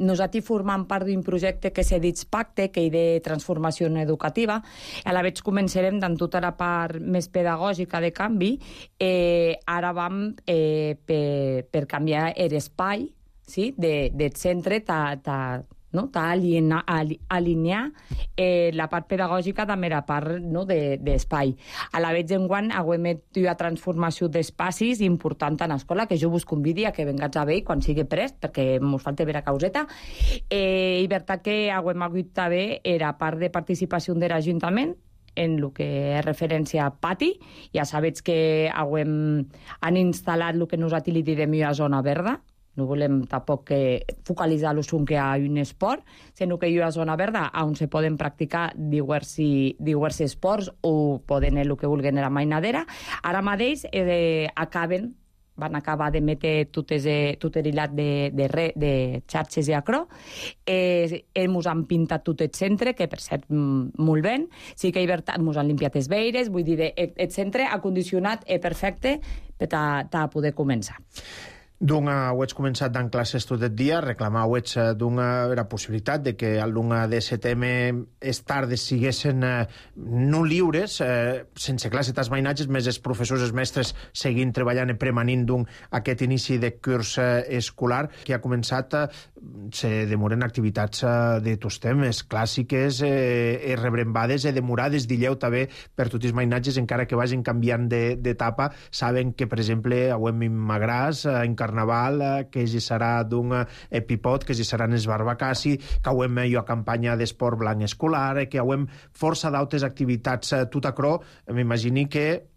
nosaltres formam part d'un projecte que s'ha dit Pacte, que hi de transformació educativa. A la vegada començarem amb tota la part més pedagògica de canvi. Ara vam per canviar l'espai del centre, alinear la part pedagògica amb la part d'espai. A la vegada enguany hem fet una transformació d'espacis important en l'escola, que jo vos convidi a que vengats a veure quan sigui prest, perquè ens falta veure causeta. I veritat que hem hagut també la part de participació de l'Ajuntament en el que és referència a pati. Ja sabeu que han instal·lat el que nosaltres li direm una zona verda. No volem tampoc focalitzar-los en que hi ha un esport, sinó que hi ha una zona verda on se poden practicar diversos esports o poden el que vulguin a la mainadera. Ara mateix van acabar d'emetre tot l'hilat de xarxes i acro. Ens han pintat tot el centre, que per cert molt bé. Sí que ens han limpiat els veires, vull dir, el centre ha condicionat perfecte per a poder començar. Heu començat dant classes tot el dia, reclamau la possibilitat de que a l'1 de setembre les tardes siguessin no lliures, sense classe dels mainatges, més els professors i els mestres seguint treballant i premanint aquest inici de curs escolar que ha començat. Se demoren activitats de tots temes, clàssiques, rebrembades i demorades, dilleu també per tots els mainatges, encara que vagin canviant d'etapa. Saben que, per exemple, en Magràs, en Carnaval, que hi serà d'un Epipot, que hi seran els Barbacassi, que hem una campanya d'esport blanc escolar, que hem força d'altres activitats tot acrò. M'imagini que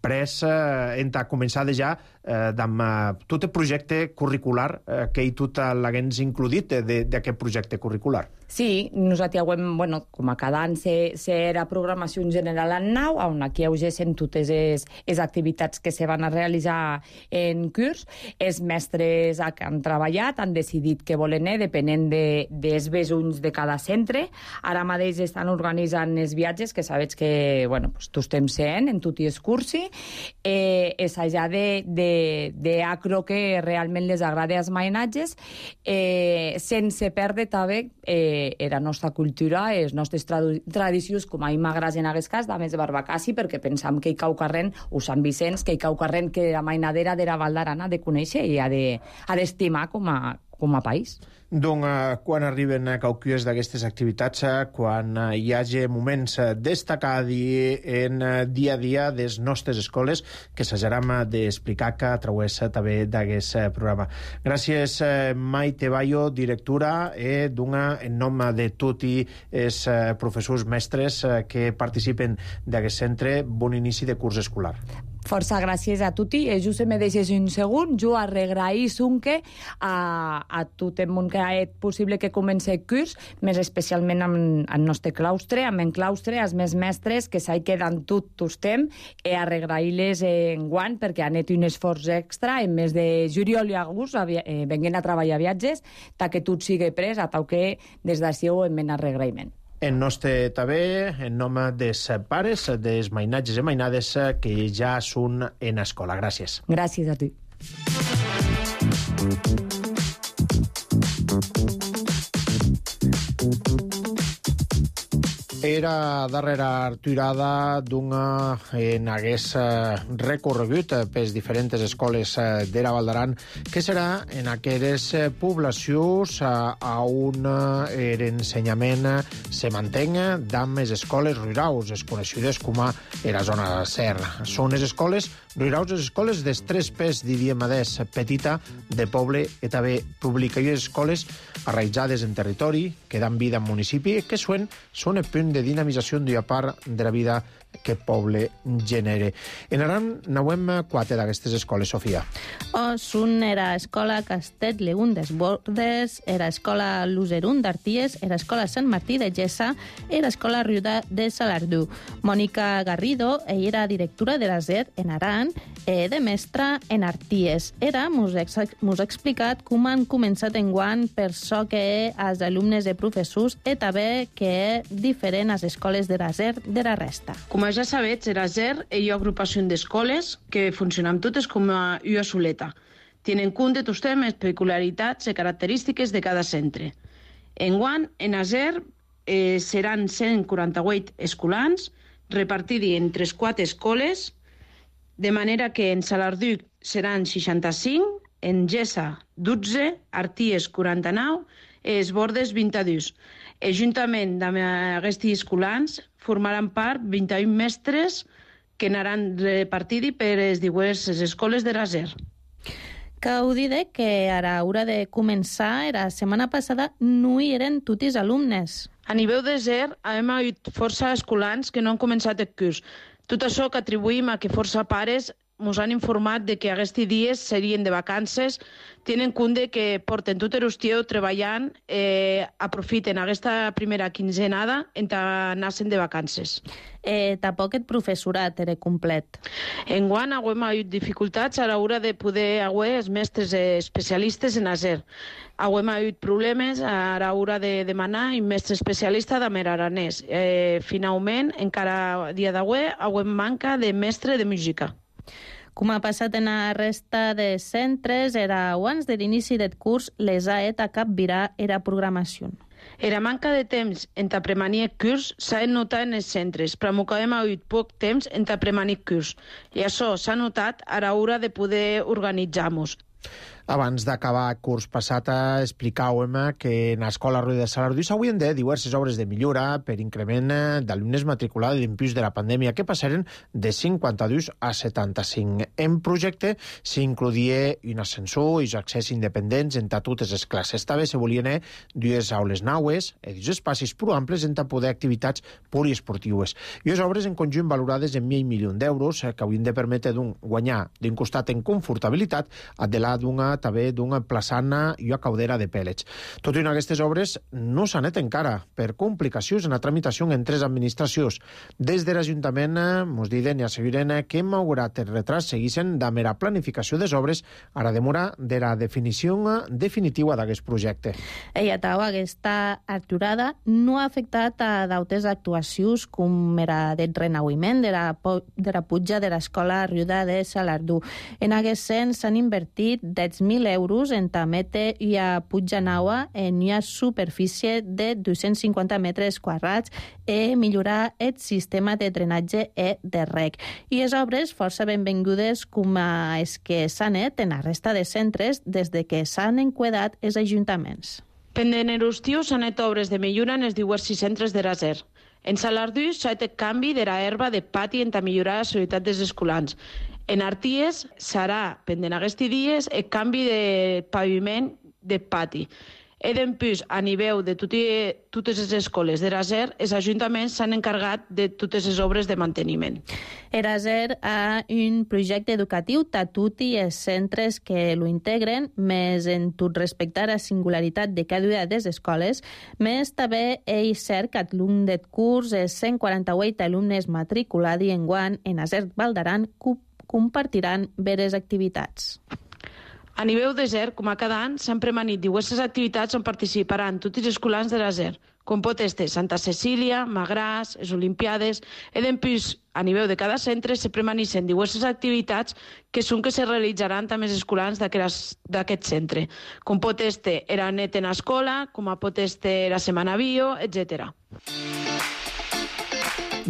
pres hem començat ja amb tot el projecte curricular que tot l'haguens includit d'aquest projecte curricular. Sí, nosaltres com a cada any serà programació en general en nau, on aquí hi totes les activitats que se van a realitzar en curs. Els mestres que han treballat han decidit què volen depenent dels besons de cada centre. Ara mateix estan organitzant els viatges, que sabeu que tots estem sent en tot i el cursi. És allà d'acro que realment les agrada als mainatges, sense perdre també la nostra cultura, les nostres tradicions, com a Magràs en aquest cas, també de Barbacassi, perquè pensam que hi cau carrent, o Sant Vicenç, que hi cau carrent que la mainadera de la Val d'Aran ha de conèixer i ha d'estimar com a país. Quan arriben qualques d'aquestes activitats, quan hi hagi moments destacats en dia a dia de les nostres escoles, que s'hajarem d'explicar que a través també d'aquest programa. Gràcies, Maite Bayo, directora, en nom de tots els professors mestres que participen d'aquest centre. Bon inici de curs escolar. Força gràcies a tutti. Just me deixes un segon. Jo arregraïs a tot el món que ha fet possible que comenci el curs, més especialment amb el nostre claustre, amb el claustre, els més mestres que s'hi queden tot el temps, i arregrair-les enguany perquè han fet un esforç extra en mes de juliol i agost venguent a treballar viatges, que tot sigui pres, a tal que des d'ací ho hem arregraïment. En nostre també, en nom dels pares, dels mainatges i mainades que ja són en escola. Gràcies. Gràcies a tu. Era darrera aturada d'una en hagués recorregut pels diferents escoles d'Era Val d'Aran, que serà en aquelles poblacions on l'ensenyament se mantenc d'amb les escoles rurals, es coneixudes com a era zona SER. Són les escoles rurals, les escoles dels tres pes, diríem adés, petita, de poble i també pública, i les escoles arraïtzades en territori, que dan vida en municipi, que són el punt de dinamització d'una part de la vida que poble genere. En Aran n'hem 4 d'aquestes escoles, Sofia. Són era escola Castell Leún des Bordes, era escola Luserún d'Arties, era escola Sant Martí de Gessa, era escola Riuda de Salardú. Mònica Garrido, ella era directora de la SER en Aran, de mestra en Arties. Mos ha explicat com han començat enguany per so que els alumnes de professors i també que diferent les escoles de la SER de la resta. Com ja sabets, era SER hi ha agrupació d'escoles que funcionen totes com a una soleta. Tienen en compte tots temes, peculiaritats i característiques de cada centre. Enguany, en la SER seran 148 escolans repartits entre 4 escoles, de manera que en Salardú seran 65, en Gessa 12, Arties 49 i es Bordes 22. Juntament amb aquests escolans formaran part 21 mestres que anaran repartits per les diverses escoles de la SER. Cal dir que a l'hora de començar, la setmana passada, no hi eren tots els alumnes. A nivell de SER, hem hagut força escolans que no han començat el curs. Tot això que atribuïm a que força pares ens han informat de que aquests dies serien de vacances, tenen en compte que porten tot l'estiu treballant, aprofiten aquesta primera quinzenada en anar-se'n de vacances. Tampoc el professorat era complet. Enguany hem hagut dificultats a l'hora de poder haver els mestres especialistes en ASER. Hem hagut problemes a l'hora de demanar un mestre especialista d'Amer Aranès. Finalment, encara a dia d'avui, hem manca de mestre de música. Com ha passat en la resta de centres, era abans de l'inici del curs, les AET a capvirar era programació. Era manca de temps entre premanir el curs s'ha notat en els centres, però que hem hagut poc temps entre premanir el curs. I això s'ha notat a l'hora de poder organitzar-nos. Abans d'acabar el curs passat, explicàvem que en l'Escola Ruiz de Salardú s'haurien de diverses obres de millora per increment d'alumnes matriculats d'impús de la pandèmia, que passaren de 52 a 75. En projecte s'inclodia un ascensor i accés independents entre totes les classes. També se volien dues aules naues i dos espais prou amples entre poder activitats poliesportives. I les obres en conjunt valorades en 1.000 milions d'euros que haurien de permetre guanyar d'un costat en confortabilitat a de la també d'una plaçana i una caudera de pèl·lets. Tot i aquestes obres no s'han net encara per complicacions en la tramitació en tres administracions. Des de l'Ajuntament ens diuen i asseguren que malgrat el retras seguissin de mera planificació des obres a la demora de la definició definitiva d'aquest projecte. Ella tau, aquesta aturada no ha afectat a d'altres actuacions com era del renauiment de la puja de l'escola Riuda de Salardú. En aquest sens s'han invertit 10.000 euros en tamete i a puja naua en una superfície de 250 metres quadrats i millorar el sistema de drenatge i de rec. I les obres força benvingudes com és que s'han net en la resta de centres des de que s'han enquadat els ajuntaments. Pendent l'estiu s'han net obres de millora en els diversos centres de la SER. En Salardú s'ha fet canvi de l'herba de pati per millorar la seguretat dels escolans. En Arties serà, pendent aquests dies, el canvi de paviment de pati. I d'empús, a nivell de totes les escoles de la SER, els ajuntaments s'han encarregat de totes les obres de manteniment. La SER ha un projecte educatiu a tots els centres que lo integren, més en tot respectar a la singularitat de cada una de les escoles, més també és cert que al llarg del curs els 148 alumnes matriculats enguany en la SER Val d'Aran compartiran veres activitats. A nivell de SER, com a cada any, s'han premanit diverses activitats on participaran tots els escolans de la SER, com pot ser Santa Cecília, Magràs, les Olimpiades, i d'empús, a nivell de cada centre, se premanissen diverses activitats que són que se realitzaran també els escolans d'aquest centre, com pot ser era net en escola, com pot ser la setmana bio, etc.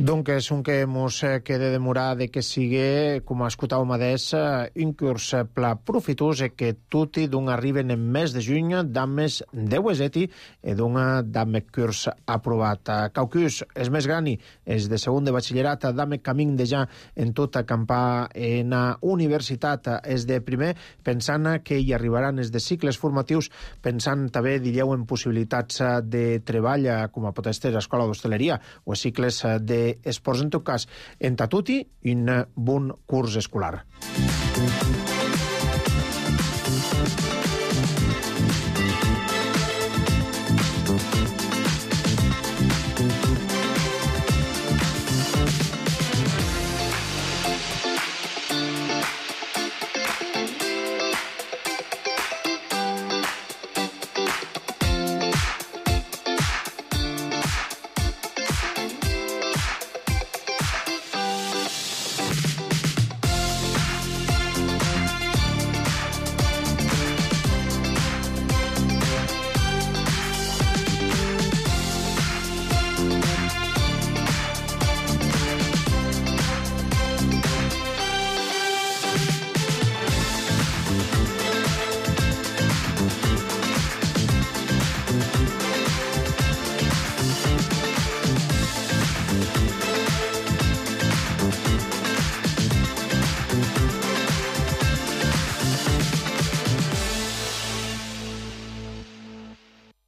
Donc, un que mos queda demorar de que sigui, com escoltàvem adés, un curs pla profitós e que tutti d'un arriben en mes de juny d'an més 10 eseti e d'un d'an curs aprovat. Caucus és més grani, és de segon de batxillerat, d'an camin de ja en tota campà en universitat és de primer, pensant que hi arribaran els de cicles formatius, pensant també, diríeu, en possibilitats de treball com a pot estar a escola d'hostaleria o a cicles de esports, en tot cas, en tatuti un bon curs escolar.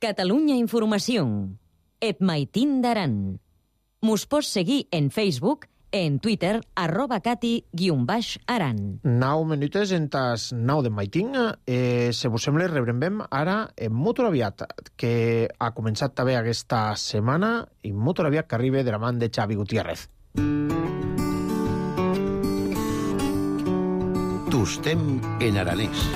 Catalunya Informació. Et Maitín d'Aran. Mos pots seguir en Facebook, en Twitter, @cati_aran. 9 minutes en tas 9 de Maitín. Se vos sembla, rebrem ara en Motoraviat, que ha començat també aquesta setmana, i Motoraviat que arriba de la mà de Xavi Gutiérrez. Tostem en aranès.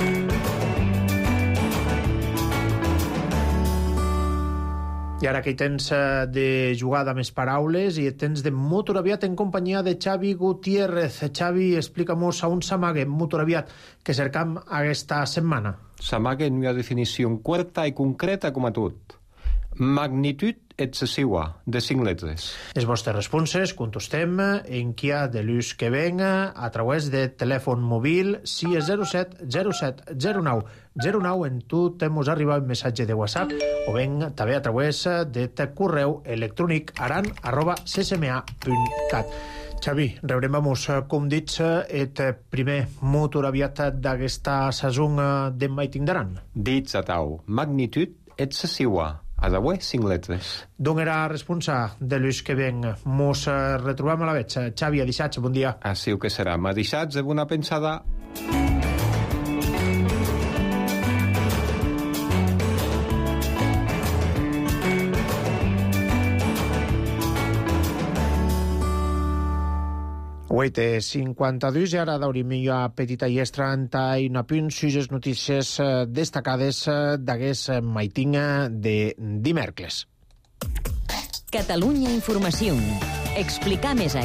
I ara que hi tens de jugada més paraules i tens de Motoraviat en companyia de Xavi Gutiérrez. Xavi, explica-mos a on s'amaga Motoraviat que cercam aquesta setmana. S'amaga en una definició curta i concreta com a tot. Magnitud excessiva, de 5 lletres. Les vostres responses contestem en qui ha de l'ús que venga a través de telèfon mòbil 607 07 09 09. En tu t'hemos arribat un missatge de WhatsApp o ben també a través de correu electrònic aran@ccma.cat. Xavi, rebrem-nos, com dits, el primer Motoraviat d'aquesta saison de Maitín d'Aran. Dits a tau, magnitud excessiva. A de 5 lletres. D'on era responsa de l'ús que ven? Mos retrobam a la veig. Xavi, a dissats, bon dia. Així que serà. A dissats, de bona pensada. Uite, 52 i ara d'obrim una petita llestra i una punt sus notícies destacades d'aquest Maitín de dimecres. Catalunya Informació. Explicar més a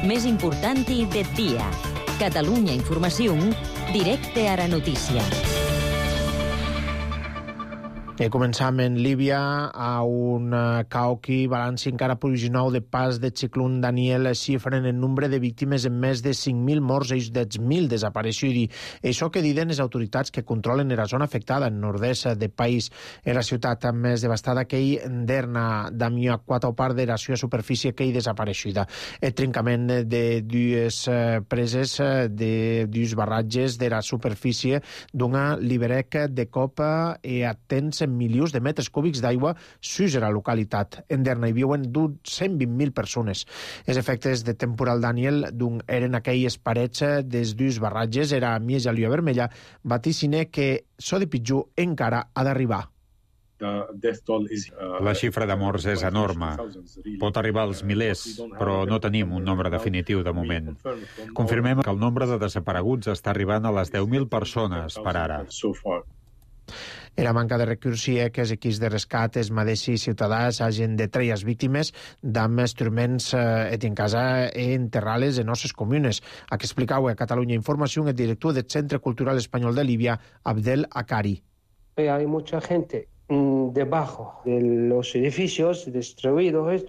més important del dia. Catalunya Informació, directe a la notícia. Començam en Líbia a un cauqui balanci encara provisional de pas de ciclón Daniel xifren el nombre de víctimes en més de 5.000 morts i 10.000 desapareixuts. Això que diuen les autoritats que controlen la zona afectada en nord-est del país. En la ciutat més devastada que hi Derna, d'Amià, 4 part de la seva superfície que hi desapareixuda. El trencament de dues preses, de dues barratges de la superfície d'una liberec de copa i atents milions de metres cúbics d'aigua sus a la localitat. En Derna hi viuen 120.000 persones. Els efectes de temporal Daniel eren aquelles parets des dues barratges, era Mies a Llua Vermella, vaticine que so de pitjor encara ha d'arribar. La xifra de morts és enorme. Pot arribar als milers, però no tenim un nombre definitiu de moment. Confirmem que el nombre de desapareguts està arribant a les 10.000 persones per ara. Era manca de recursos que els equips de rescat, els mateixos ciutadans, hagin de treure les víctimes d'amb instruments en casa i enterrar-les en nostres comunes. A que explicau a Catalunya Informació el director del Centre Cultural Espanyol de Líbia, Abdel Akari. Hay mucha gente debajo de los edificios destruidos,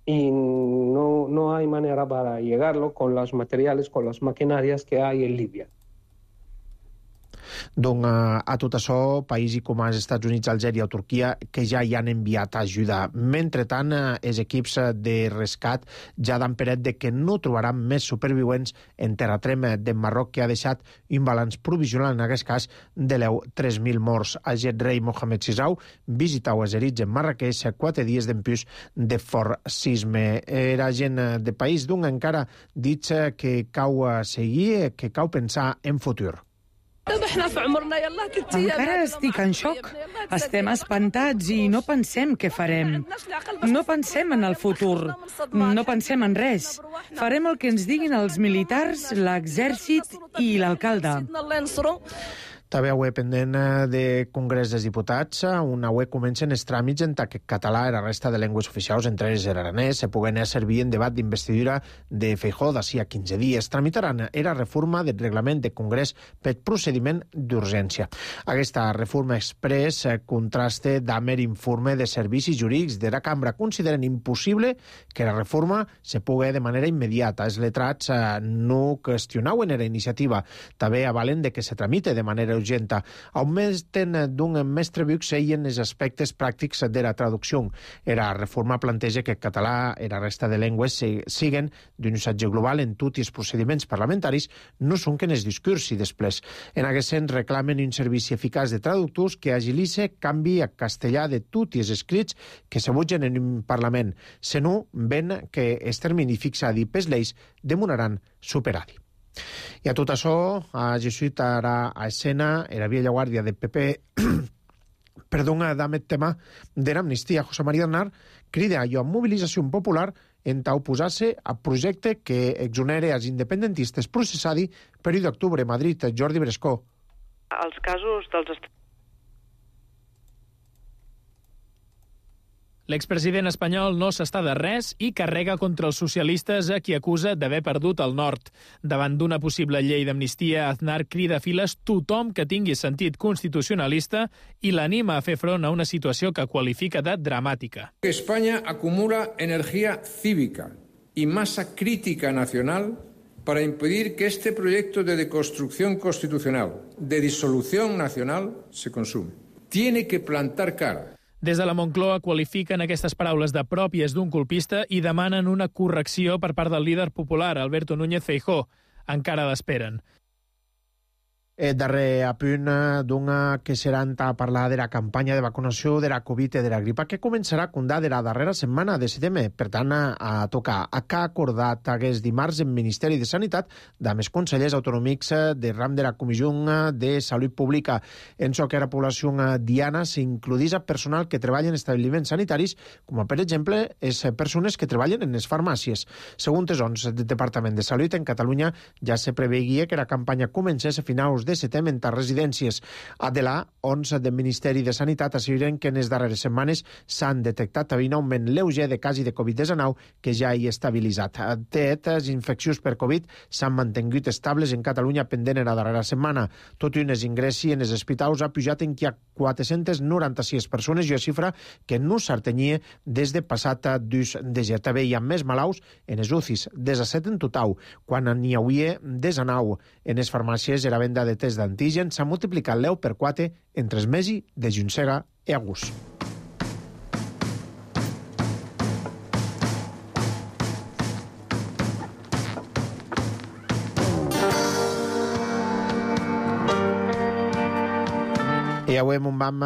y no hay manera para llegarlo con los materiales, con las maquinarias que hay en Libia. Doncs a tot això, països com els Estats Units, Algèria o Turquia, que ja hi han enviat ajuda. Mentrestant, els equips de rescat ja dan per fet que no trobaran més supervivents en terratrem de Marroc, que ha deixat un balanç provisional, en aquest cas, de 3.000 morts. Aquest rei Mohamed VI visitau els herits en Marrakeix 4 dies d'empús de fort sisme. Era gent de país d'un encara dit que cau seguir, que cau pensar en futur. Encara estic en xoc. Estem espantats i no pensem què farem. No pensem en el futur. No pensem en res. Farem el que ens diguin els militars, l'exèrcit i l'alcalde. També avui pendent de Congrés dels Diputats, on avui comencen els tràmits en català i la resta de llengües oficials, entre ells l'aranès, se puguen servir en debat d'investidura de Feijóo d'ací a 15 dies. Tramitaran la reforma del reglament de Congrés per procediment d'urgència. Aquesta reforma express contrasta amb l'informe de servicis jurídics de la cambra. Consideren impossible que la reforma se pugui de manera immediata. Els letrats no qüestionaven la iniciativa. També avalen de que se tramite de manera urgenta. Augmenten d'un mestre viu seien els aspectes pràctics de la traducció. La reforma planteja que el català i la resta de llengües siguen d'un usatge global en tots els procediments parlamentaris, no són que en els discurs i després. En aquest sens reclamen un servici eficaç de traductors que agilitze canvi a castellà de tots els escrits que se votgen en un Parlament, senó ven que el termini fixat per lleis demoraran superar-hi. I a tot això, ha Jesuit ara a escena la vella guàrdia de PP amb el tema de l'amnistia. José María Aznar crida a mobilització popular en oposar-se al projecte que exonera els independentistes processats per 1 d'octubre a Madrid. Jordi Brescó. Els casos dels... L'expresident espanyol no s'està de res i carrega contra els socialistes a qui acusa d'haver perdut el nord. Davant d'una possible llei d'amnistia, Aznar crida a files tothom que tingui sentit constitucionalista i l'anima a fer front a una situació que qualifica de dramàtica. España acumula energía cívica y masa crítica nacional para impedir que este proyecto de deconstrucción constitucional, de disolución nacional, se consume. Tiene que plantar cara. Des de la Moncloa qualifiquen aquestes paraules de pròpies d'un colpista i demanen una correcció per part del líder popular, Alberto Núñez Feijóo. Encara l'esperen. Darrer apunt d'un que serà a parlar de la campanya de vacunació de la Covid i de la gripa que començarà a condar de la darrera setmana de setembre. Per tant, a tocar. Que ha acordat aquest dimarts el Ministeri de Sanitat amb els consellers autonòmics de ram de la Comissió de Salut Pública. En això que la població diana s'includís a personal que treballa en establiments sanitaris, com per exemple les persones que treballen en les farmàcies. Segons els ons del Departament de Salut, en Catalunya ja se preveia que la campanya comencés a finals de setembre en residències. De la ONS del Ministeri de Sanitat asseguren que en les darreres setmanes s'han detectat un augment lleuger de casos de Covid-19 que ja hi ha estabilitzat. Les infeccions per Covid s'han mantingut estables en Catalunya pendent en la darrera setmana. Tot i un ingressi en els hospitals ha pujat en que hi ha 496 persones i una xifra que no s'artenia des de passat 2 de gener. També hi ha més malalts en els UCIs, 17 en total, quan n'hi hauria 19. En les farmàcies la venda de test d'antígen s'ha multiplicat l'1 per 4 entre els mesos de juny i agost. I avui en un vam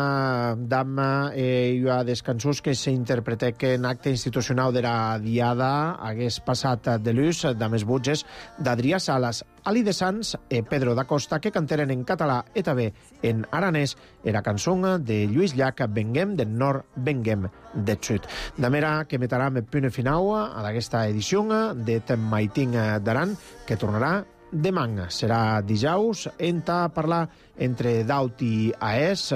a descansos que s'interpreta que en acte institucional de la Diada hagués passat de l'ús de més butges d'Adrià Salas, Ali de Sans i Pedro da Costa, que canteren en català i també en aranès la cançó de Lluís Llach, Venguem del Nord, Venguem del Sud. De manera que metarà el punt final a aquesta edició de Maiting d'Aran, que tornarà demà. Serà dijous a parlar entre Daut i Aès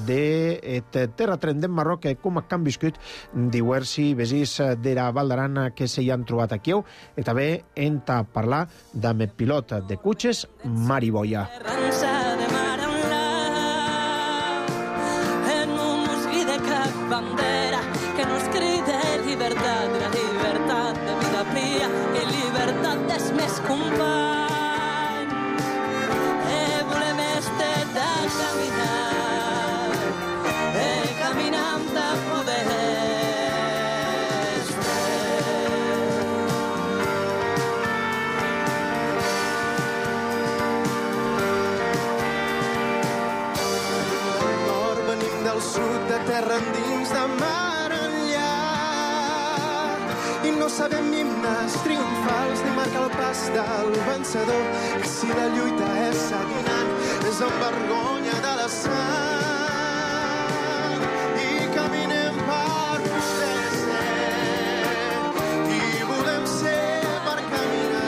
de terratrèm de Marroc, com han viscut diversos veïns de la Val d'Aran que s'hi han trobat aquí, i també a parlar amb el pilot de cotxes Mari Boia. En un mosquí de cap bandera que nos crida llibertat, la llibertat. terra endins de mar enllà. I no sabem himnes triomfals ni marcar el pas del vencedor, que si la lluita és seguinant, és amb vergonya de la sang. I caminem per poder ser, i volem ser per caminar.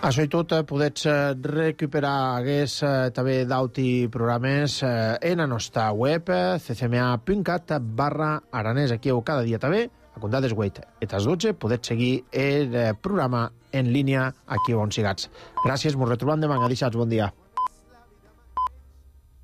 Això i tot podets recuperar també d'auti programes en la nostra web ccma.cat/aranès. Aquí cada dia també, a comptar des 8 i les 12, podets seguir el programa en línia aquí on sigats. Gràcies, ens retrobem demà. Adéu, bon dia.